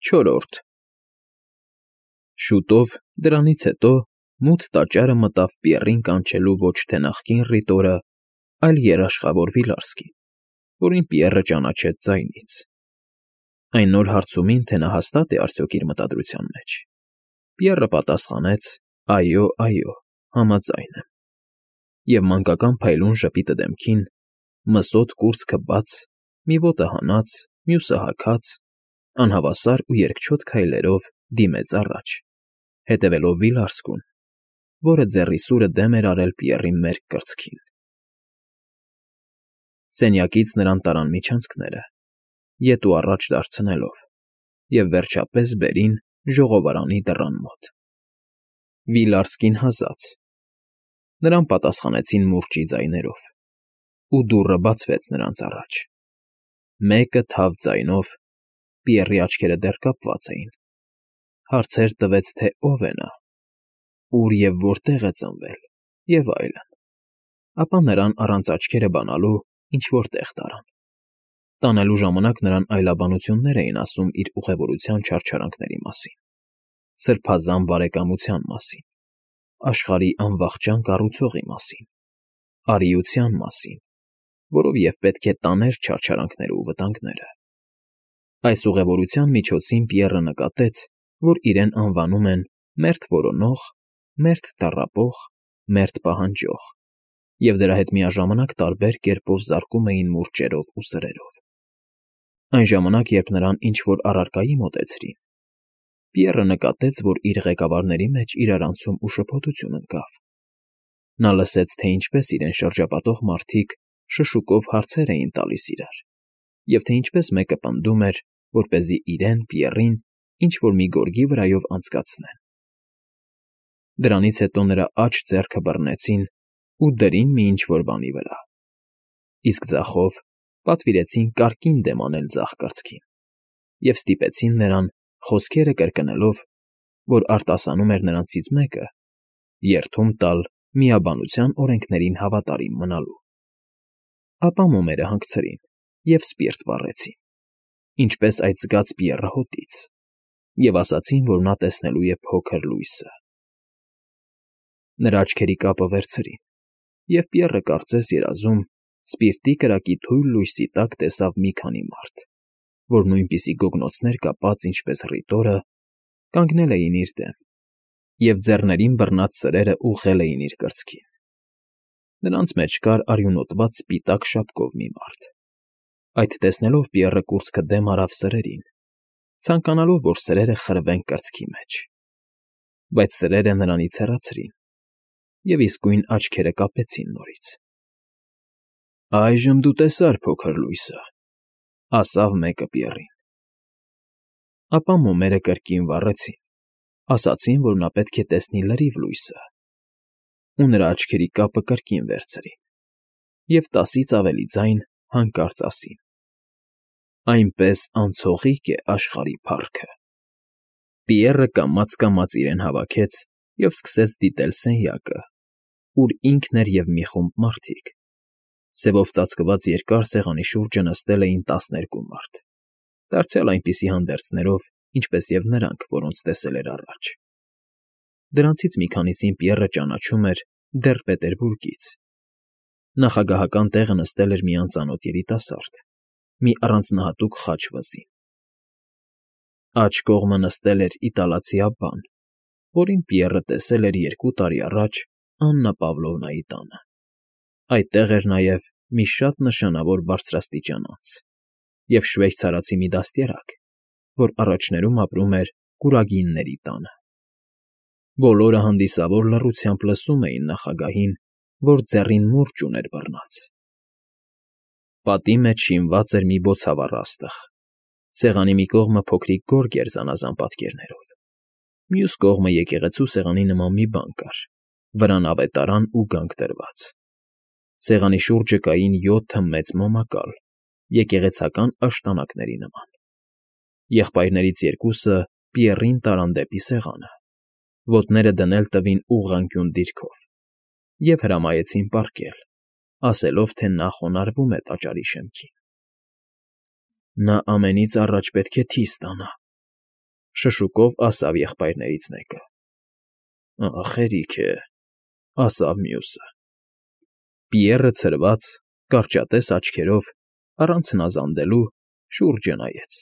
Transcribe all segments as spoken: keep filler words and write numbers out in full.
Չորրորդ Շուտով, դրանից հետո, մութ տաճարը մտավ Պիեռին կանչելու ոչ թե նախկին ռիտորը, այլ երաշխավոր Վիլարսկին, որին Պիեռը ճանաչեց ձայնից. այն նոր հարցումին, թե նա հաստա՞տ է արդյոք իր մտադրության մեջ, Պիեռը պատասխանեց. «Այո, այո, համաձայն եմ», և մանկական փայլուն ժպիտը դեմքին, մսոտ կուրծքը բաց, մի ոտը հանած, մյուսը հագած, անհավասար ու երկչոտ քայլերով դիմեց առաջ, հետևելով Վիլարսկուն, որը ձեռի սուրը դեմ էր արել Պիեռի մերկ կրծքին։ Սենյակից նրան տարան միջանցքները, ետ ու առաջ դարձնելով, և վերջապես բերին ժողովարանի դռան մոտ։ Վիլարսկին հազաց։ Նրան պատասխանեցին մուրճի ձայներով, ու դուռը բացվեց նրանց առաջ։ Մեկը թավ ձայնով (Պիեռի աչքերը դեռ կապված էին) հարցեր տվեց, թե ով է նա, ուր և որտեղ է ծնվել, և այլն, ապա նրան առանց աչքերը բանալու ինչ֊որ տեղ տարան։ Տանելու ժամանակ նրան այլաբանություններ էին ասում իր ուղևորության չարչարանքների մասին, սրբազան բարեկամության մասին, աշխարհի անվախճան կառուցողի մասին, արիության մասին, որով և պետք է տաներ չարչարանքները ու վտանգները։ Այս ուղևորության միջոցին Պիեռը նկատեց, որ իրեն անվանում են «մերթ որոնող», «մերթ տառապող», «մերթ պահանջող», և դրա հետ միաժամանակ տարբեր կերպով զարկում էին մուրճերով ու սրերով։ Այն ժամանակ, երբ նրան ինչ֊որ առարկայի մոտեցրին, Պիեռը նկատեց, որ իր ղեկավարների մեջ իրարանցում ու շփոթություն ընկավ։ Նա լսեց, թե ինչպես իրեն շրջապատող մարդիկ շշուկով հարցեր էին տալիս իրար, և թե ինչպես մեկը պնդում էր, որպեսզի իրեն՝ Պիեռին, ինչ֊որ մի գորգի վրայով անցկացնեն։ Դրանից հետո նրա աջ ձեռքը բռնեցին ու դրին մի ինչ֊որ բանի վրա, իսկ ձախով պատվիրեցին կարկին դեմ անել ձախ կրծքին և ստիպեցին նրան, խոսքերը կրկնելով, որ արտասանում էր նրանցից մեկը, երդում տալ միաբանության օրենքներին հավատարիմ մնալու։ Ապա մոմերը հանգցրին և սպիրտ վառեցին, ինչպես այդ զգաց Պիեռը հոտից, և ասացին, որ նա տեսնելու է փոքր լույսը։ Նրա աչքերի կապը վերցրին, և Պիեռը կարծես երազում սպիրտի կրակի թույլ լույսի տակ տեսավ մի քանի մարդ, որ նույնպիսի գոգնոցներ կապած, ինչպես ռիտորը, կանգնել էին իր դեմ, և ձեռներին բռնած սրերը ուղղել էին իր կրծքին։ Նրանց մեջ կար արյունոտված սպիտակ շապկով մի մարդ։ Այդ տեսնելով Պիեռը կուրծքը դեմ արավ սրերին, ցանկանալով, որ սրերը խրվեն կրծքի մեջ։ Բայց սրերը նրանից հեռացրին, և իսկույն աչքերը կապեցին նորից։ «Այժմ դու տեսար փոքր լույսը», ֊ ասավ մեկը Պիեռին։ Ապա մոմերը կրկին վառեցին, ասացին, որ նա պետք է տեսնի լրիվ լույսը, ու նրա աչքերի կապը կրկին վերցրին, և տասից ավելի ձայն հանկարծ ասին. «Այնպես անցողիկ է աշխարհի փառքը»։ Պիեռը կամաց֊կամաց իրեն հավաքեց և սկսեց դիտել սենյակը, ուր ինքն էր և մի խումբ մարդիկ։ Սևով ծածկված երկար սեղանի շուրջը նստել էին տասներկու մարդ, դարձյալ այնպիսի հանդերձներով, ինչպես և նրանք, որոնց տեսել էր առաջ։ Դրանցից մի քանիսին Պիեռը ճանաչում էր դեռ Պետերբուրգից։ Նախագահական տեղը նստել էր մի անծանոթ երիտասարդ, մի առանձնահատուկ խաչ վզին։ Աջ կողմը նստել էր իտալացի աբբան, որին Պիեռը տեսել էր երկու տարի առաջ Աննա Պավլովնայի տանը։ Այդտեղ էր նաև մի շատ նշանավոր բարձրաստիճան անձ և շվեյցարացի մի դաստիարակ, որ առաջներում ապրում էր Կուրագինների տանը։ Բոլորը հանդիսավոր լռությամբ լսում էին նախագահին, որ ձեռին մուրճ ուներ բռնած։ Պատի մեջ շինված էր մի բոցավառ աստղ, սեղանի մի կողմը փոքրիկ գորգ էր զանազան պատկերներով, մյուս կողմը եկեղեցու սեղանի նման մի բան կար, վրան ավետարան ու գանք դրված։ Սեղանի շուրջը կային յոթը մեծ մոմակալ, եկեղեցական աշտանակների նման։ Եղբայրներից երկուսը Պիեռին տարան դեպի սեղանը, ոտները դնել տվին ուղղանկյուն դիրքով և հրամայեցին պառկել, ասելով, թե նա խոնարհվում է տաճարի շեմքին։ «Նա ամենից առաջ պետք է թի ստանա», Շշուկով ասավ եղբայրներից մեկը։ Ա, խերիք է, ասավ մյուսը։ Պիեռը ցրված, կարճատես աչքերով, առանց հնազանդելու, շուրջը նայեց,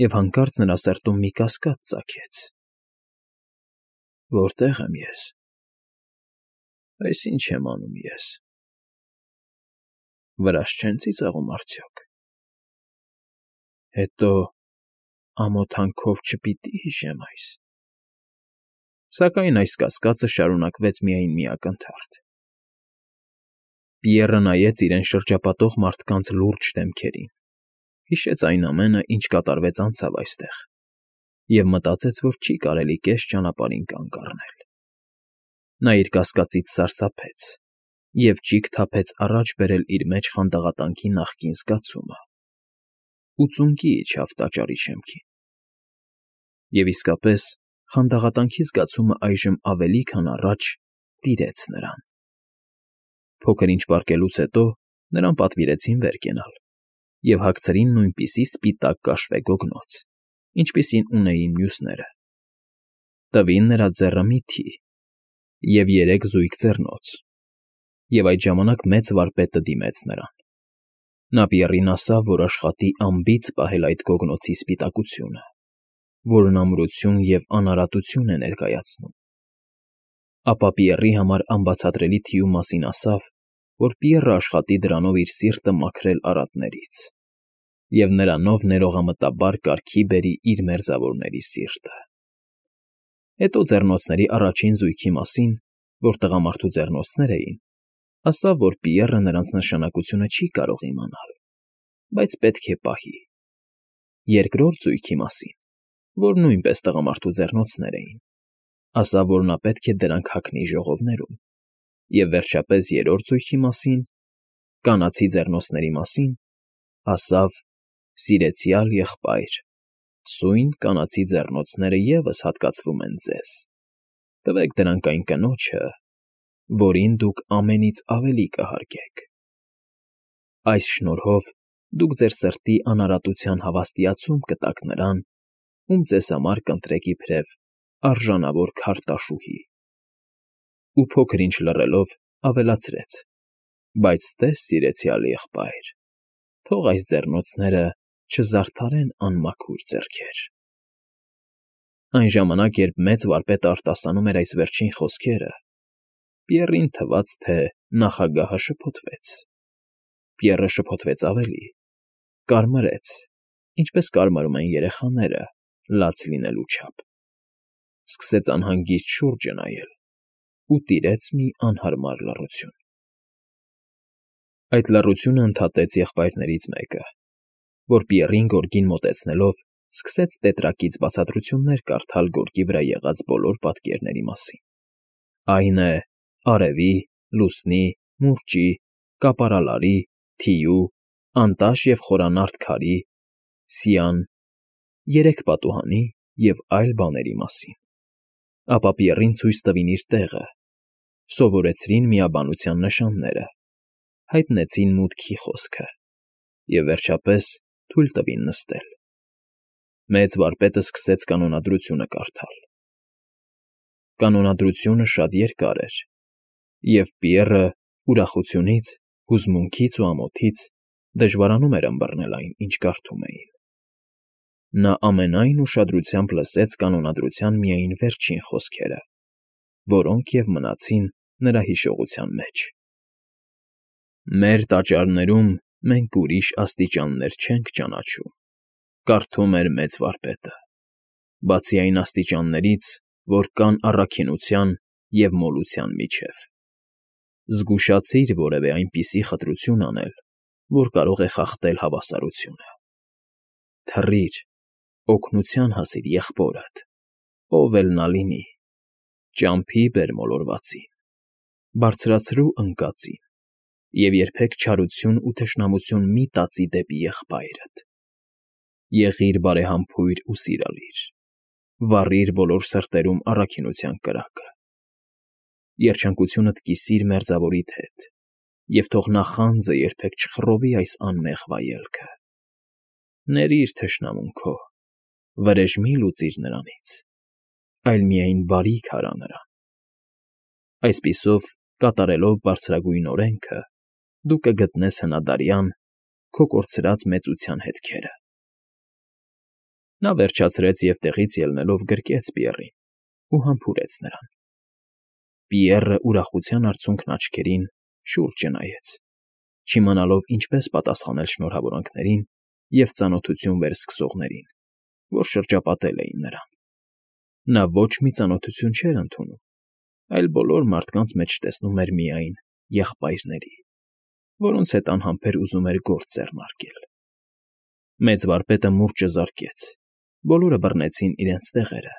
և հանկարծ նրա սրտում մի կասկած ծագեց. Որտե՞ղ եմ ես, այս ի՞նչ եմ անում ես, վրաս չեն ծիծաղում արդյոք, հետո ամոթանքով չպիտի՞ հիշեմ այս… Սակայն այս կասկածը շարունակվեց միայն մի ակնթարթ… Պիեռը նայեց իրեն շրջապատող մարդկանց լուրջ դեմքերին, հիշեց այն ամենը, ինչ կատարվեց անցավ այստեղ, և մտածեց, որ չի կարելի կես ճանապարհին կանգ առնել… Նա իր կասկածից սարսափեց և ճիգ թափեց առաջ բերել իր մեջ խանդաղատանքի նախկին զգացումը, ու ծունկի իջավ տաճարի շեմքին… Եվ իսկապես, խանդաղատանքի զգացումը այժմ ավելի քան առաջ տիրեց նրան… Փոքր-ինչ պառկելուց հետո նրան պատվիրեցին վեր կենալ և հագցրին նույնպիսի սպիտակ կաշվե գոգնոց, ինչպիսին ունեին մյուսները, տվին նրա ձեռը միթի և երեք զույգ ձեռնոց, և այդ ժամանակ մեծ վարպետը դիմեց նրան… Նա Պիեռին ասավ, որ աշխատի անբիծ պահել այդ գոգնոցի սպիտակությունը, որն ամրություն և անարատություն է ներկայացնում… Ապա Պիեռի համար անբացատրելի թիու մասին ասավ, որ Պիեռը աշխատի դրանով իր սիրտը մաքրել արատներից և նրանով ներողամտաբար կարգի բերի իր մերձավորների սիրտը… Հետո ձեռնոցների առաջին զույգի մասին, որ տղամարդու ձեռնոցներ էին, ասավ, որ Պիեռը նրանց նշանակությունը չի կարող իմանալ, բայց պետք է պահի… Երկրորդ զույգի մասին, որ նույնպես տղամարդու ձեռնոցներ էին, ասավ, որ նա պետք է դրանք հագնի ժողովներում… Եվ վերջապես երրորդ զույգի մասին, կանացի ձեռնոցների մասին, ասավ. «Սիրեցյալ եղբայր, սույն կանացի ձեռնոցները ևս հատկացվում են ձեզ, տվեք դրանք այն կնոջը, որին դուք ամենից ավելի կհարգեք… Այս շնորհով դուք ձեր սրտի անարատության հավաստիացում կտաք նրան, ում ձեզ համար կընտրեք իբրև արժանավոր քարտաշուհի…» Ու փոքր-ինչ լռելով, ավելացրեց. «Բայց տես, սիրեցյալ եղբայր, թող այս ձեռնոցները չզարդարեն անմաքուր ձեռքեր…» Այն ժամանակ, երբ մեծ վարպետը արտասանում էր այս վերջին խոսքերը, Պիեռին թվաց, թե նախագահը շփոթվեց… Պիեռը շփոթվեց ավելի, կարմրեց, ինչպես կարմրում են երեխաները լաց լինելու չափ, սկսեց անհանգիստ շուրջը նայել ու տիրեց մի անհարմար լռություն… Այդ լռությունը ընդհատեց եղբայրներից մեկը, որ Պիեռին գորգին մոտեցնելով սկսեց տետրակից բացատրություններ կարդալ գորգի վրա եղած բոլոր պատկերների մասին. այն է, արևի, լուսնի, մուրճի, կապարալարի, թիու, անտաշ և խորանարդ քարի, սյան, երեք պատուհանի և այլ բաների մասին… Ապա Պիեռին ցույց տվին իր տեղը, սովորեցրին միաբանության նշանները, հայտնեցին մուտքի խոսքը և, վերջապես, թույլ տվին նստել… Մեծ վարպետը սկսեց կանոնադրությունը կարդալ… Կանոնադրությունը շատ երկար էր, և Պիեռը ուրախությունից, հուզմունքից ու ամոթից դժվարանում էր ըմբռնել այն, ինչ կարդում էին… Նա ամենայն ուշադրությամբ լսեց կանոնադրության միայն վերջին խոսքերը, որոնք և մնացին նրա հիշողության մեջ. «Մեր տաճարներում մենք ուրիշ աստիճաններ չենք ճանաչում,֊ կարդում էր մեծ վարպետը,֊ բացի այն աստիճաններից, որ կան առաքինության և մոլության միջև… Զգուշացիր որևէ այնպիսի խտրություն անել, որ կարող է խախտել հավասարությունը… Թռիր, օգնության հասիր եղբորդ, ով էլ նա լինի, ճամփի բեր մոլորվածին, բարձրացրու ընկածին և երբեք չարություն ու թշնամություն մի տածի դեպի եղբայրդ… Եղիր բարեհամբույր ու սիրալիր, վառիր բոլոր սրտերում առաքինության կրակը… Երջանկությունդ կիսիր մերձավորիդ հետ և թող նախանձը երբեք չխռովի այս անմեղ վայելքը… Ներիր թշնամուն քո, վրեժ մի՛ լուծիր նրանից, այլ միայն բարիք արա նրան։ Այսպիսով, կատարելով բարձրագույն օրենքը, դու կգտնես հնադարյան քո կորցրած մեծության հետքերը։ Նա վերջացրեց և տեղից ելնելով գրկեց Պիեռին ու համբուրեց նրան։ Պիեռը ուրախության արցունքն աչքերին շուրջը նայեց, չիմանալով ինչպես պատասխանել շնորհավորանքներին և ծանոթություն վերսկսողներին, որ շրջապատել էին նրան։ Նա ոչ մի ծանոթություն չէր ընդունում, այլ բոլոր մարդկանց մեջ տեսնում էր միայն եղբայրների, որոնց հետ անհամբեր ուզում էր գործ ձեռնարկել։ Մեծ վարպետը մուրճը զարկեց, բոլորը բռնեցին իրենց տեղերը,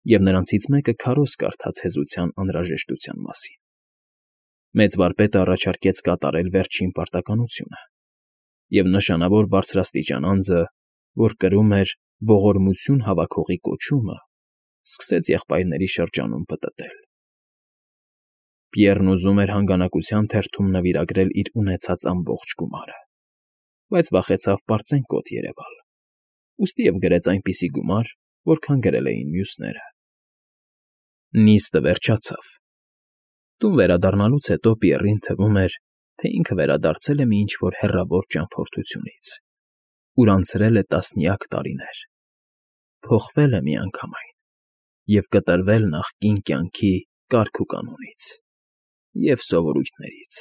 և նրանցից մեկը քարոզ կարդաց հեզության անհրաժեշտության մասին։ Մեծ վարպետը առաջարկեց կատարել վերջին պարտականությունը, և նշանավոր բարձրաստիճան անձը, որ կրում էր ողորմություն հավաքողի կոչումը, սկսեց եղբայրների շրջանում պտտել։ Պիեռն ուզում էր հանգանակության թերթում նվիրագրել իր ունեցած ամբողջ գումարը, բայց վախեցավ պարծենկոտ երևալ, ուստի և գրեց այնպիսի գումար, որքան գրել էին մյուսները։ Նիստը վերջացավ։ Տուն վերադառնալուց հետո Պիեռին թվում էր, թե ինքը վերադարձել է մի ինչ֊որ հեռավոր ճամփորդությունից, ուր անցրել է տասնյակ տարիներ, փոխվել է միանգամայն և կտրվել նախկին կյանքի կարգուկանոնից և սովորույթներից։